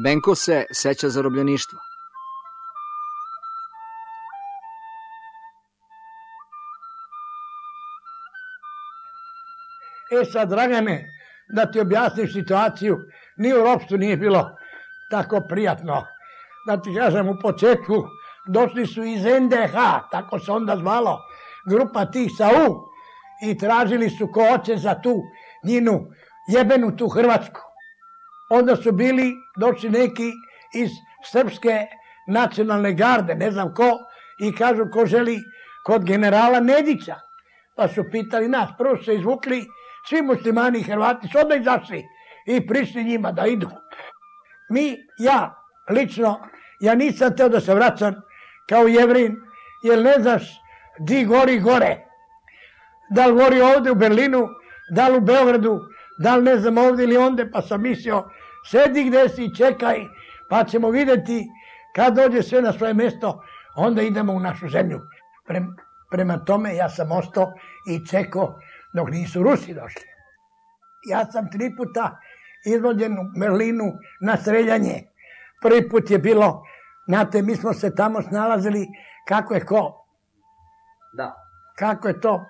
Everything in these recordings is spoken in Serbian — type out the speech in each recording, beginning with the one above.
Benko se seća zarobljeništva. Sad, Dragane, da ti objasniš situaciju, ni u ropstvu nije bilo tako prijatno. Da ti kažem, u početku došli su iz NDH, tako se onda zvalo, grupa tih sa U, i tražili su ko hoće za tu njinu jebenu tu Hrvatsku. Onda su došli neki iz Srpske nacionalne garde, ne znam ko, i kažu ko želi kod generala Nedića. Pa su pitali nas, prvo su se izvukli, svi muslimani i Hrvati su odmah izašli i prišli njima da idu. Lično, ja nisam teo da se vraćam kao Jevrin, jer ne znaš di gori gore. Da li gori ovde u Berlinu, da li u Beogradu, da li ne znam ovde ili onde, pa sam mislio, sedi gde si, čekaj, pa ćemo vidjeti kad dođe sve na svoje mesto, onda idemo u našu zemlju. Prema tome ja sam ostao i čekao dok nisu Rusi došli. Ja sam 3 puta izvođen u Berlinu na streljanje. Prvi put je bilo, znate, mi smo se tamo snalazili kako je ko. Da. Kako je to,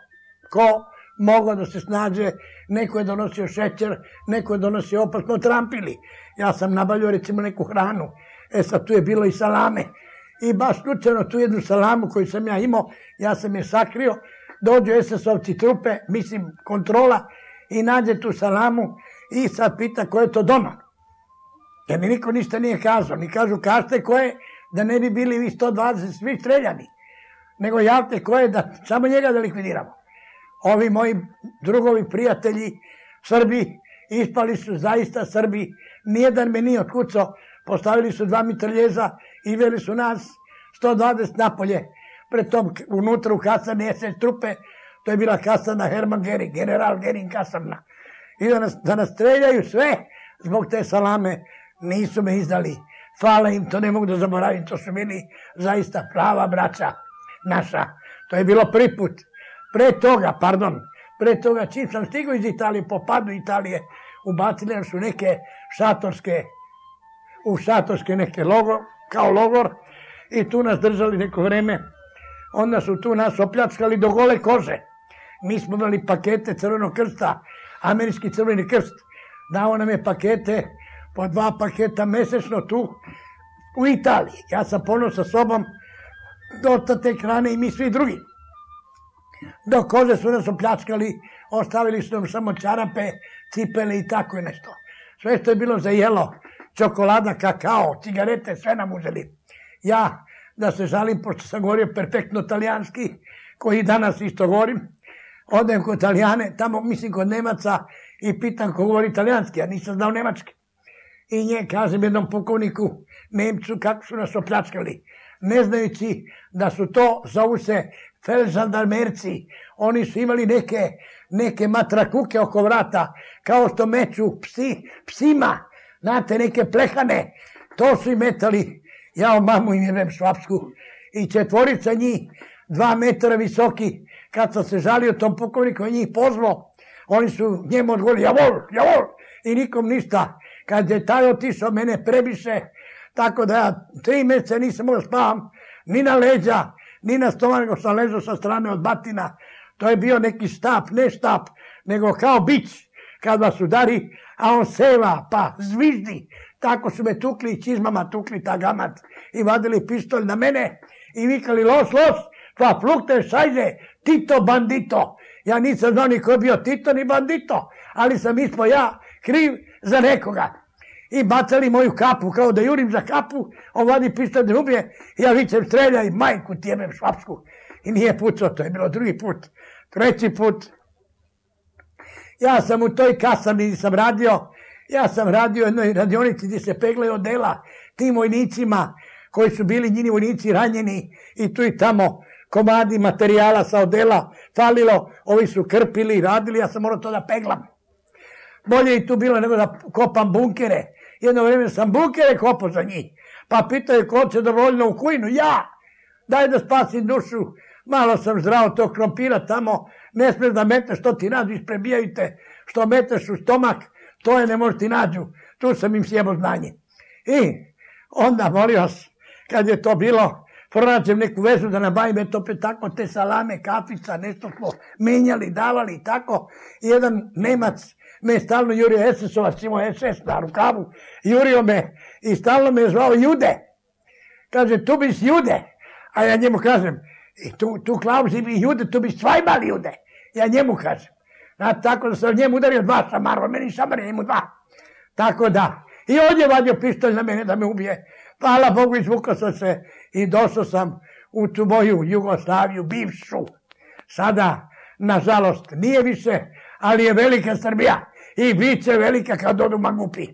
ko mogao da se snađe, neko je donosio šećer, neko je donosio opasno trampili. Ja sam nabavljao recimo neku hranu, sad tu je bilo i salame. I baš slučajno tu jednu salamu koju sam ja imao, ja sam je sakrio, dođu SS-ovci trupe, mislim kontrola, i nađe tu salamu i sad pita ko je to doma. Jer mi niko ništa nije kazao, ni kažu kažete ko je, da ne bi bili vi 120 svi streljani, nego javite ko je, da samo njega da likvidiramo. Ovi moji drugovi, prijatelji, Srbi, ispali su zaista Srbi, nijedan me nije otkucao, postavili su 2 mitraljeza i veli su nas 120 napolje, pred tom unutra u kasarni SS trupe, to je bila kasarna Hermann Göring, general Göring kasarna. I da nas streljaju sve zbog te salame, nisu me izdali. Hvala im, to ne mogu da zaboravim, to su bili zaista prava braća naša. To je bilo prvi put. Pre toga, čim sam stigao iz Italije, po padu Italije, ubacili su neke šatorske neke kao logor, i tu nas držali neko vreme. Onda su tu nas opljačkali do gole kože. Mi smo imali pakete Crvenog krsta, američki Crveni krst. Dao nam je pakete, po 2 paketa mesečno tu u Italiji. Ja sam poneo sa sobom dosta te hrane i mi svi drugi. Do kože su nas opljačkali, ostavili su nam samo čarape, cipele i tako nešto. Sve što je bilo za jelo, čokolada, kakao, cigarete, sve nam uzeli. Ja, da se žalim, pošto sam govorio perfektno talijanski, koji danas isto govorim, odem kod Italijane, tamo mislim kod Nemaca, i pitam ko govori italijanski, ja nisam znao nemački. I kažem jednom pukovniku, Nemcu, kako su nas opljačkali, ne znajući da su to, zovu se felžandarmerci, oni su imali neke matrakuke oko vrata, kao što meću psima, znate, neke plehane, to su im metali, ja mamu im jebem švapsku, i 4 njih, 2 metra visoki, kad sam se žalio tom pukovniku, on njih pozvao, oni su njemu odgovorili, javol, i nikom ništa. Kad je taj otišao, mene prebiše, tako da ja 3 meseca nisam mogao spavam, ni na leđa, ni na stomak, nego sam ležao sa strane od batina. To je bio neki štap, ne štap, nego kao bić, kad vas udari, a on seva, pa zviždi. Tako su me tukli i čizmama tukli ta gamat i vadili pištolj na mene i vikali los, pa flukte šajze, Tito bandito. Ja nisam znao ni ko je bio Tito ni bandito, ali sam ispao ja kriv za nekoga. I bacali moju kapu, kao da jurim za kapu, on vadi pištolj da ubije, ja vičem streljaj, majku ti jebem švapsku. I nije pucao, to je bilo 2. put. 3. put. Ja sam u toj kasarni gdje sam radio, ja sam radio u jednoj radionici gdje se peglaju odela tim vojnicima koji su bili njini vojnici ranjeni i tu i tamo komadi materijala sa odela falilo, ovi su krpili i radili, ja sam morao to da peglam. Bolje i tu bilo nego da kopam bunkere. Jedno vreme sam bunkere kopao za njih. Pa pitaju ko će dobrovoljno u kujnu, ja! Daj da spasim dušu. Malo sam zdrao tog krompira tamo, ne smiješ da metneš, što ti nađu, isprebijaju te, što metneš u stomak, to je ne može ti nađu. Tu sam im sjebao znanje. I onda, molim vas, kad je to bilo, pronađem neku vezu da nabavim, eto opet tako, te salame, kafica, nešto smo menjali, davali i tako. I jedan Nemac me stalno jurio, SS-ovac, imao SS na rukavu, jurio me i stalno me zvao Jude. Kaže, tu biš Jude. A ja njemu kažem, tu Klausi bi Jude, tu biš zweimal Jude. Ja njemu kažem. Tako da sam njemu udario 2 šamara, meni šamar je njemu 2. Tako da. I on je vadio pištolj na mene da me ubije. Hvala Bogu, izvukao sam se i došao sam u tu moju Jugoslaviju, bivšu. Sada, nažalost, nije više, ali je velika Srbija i bit će velika kad odu mangupi.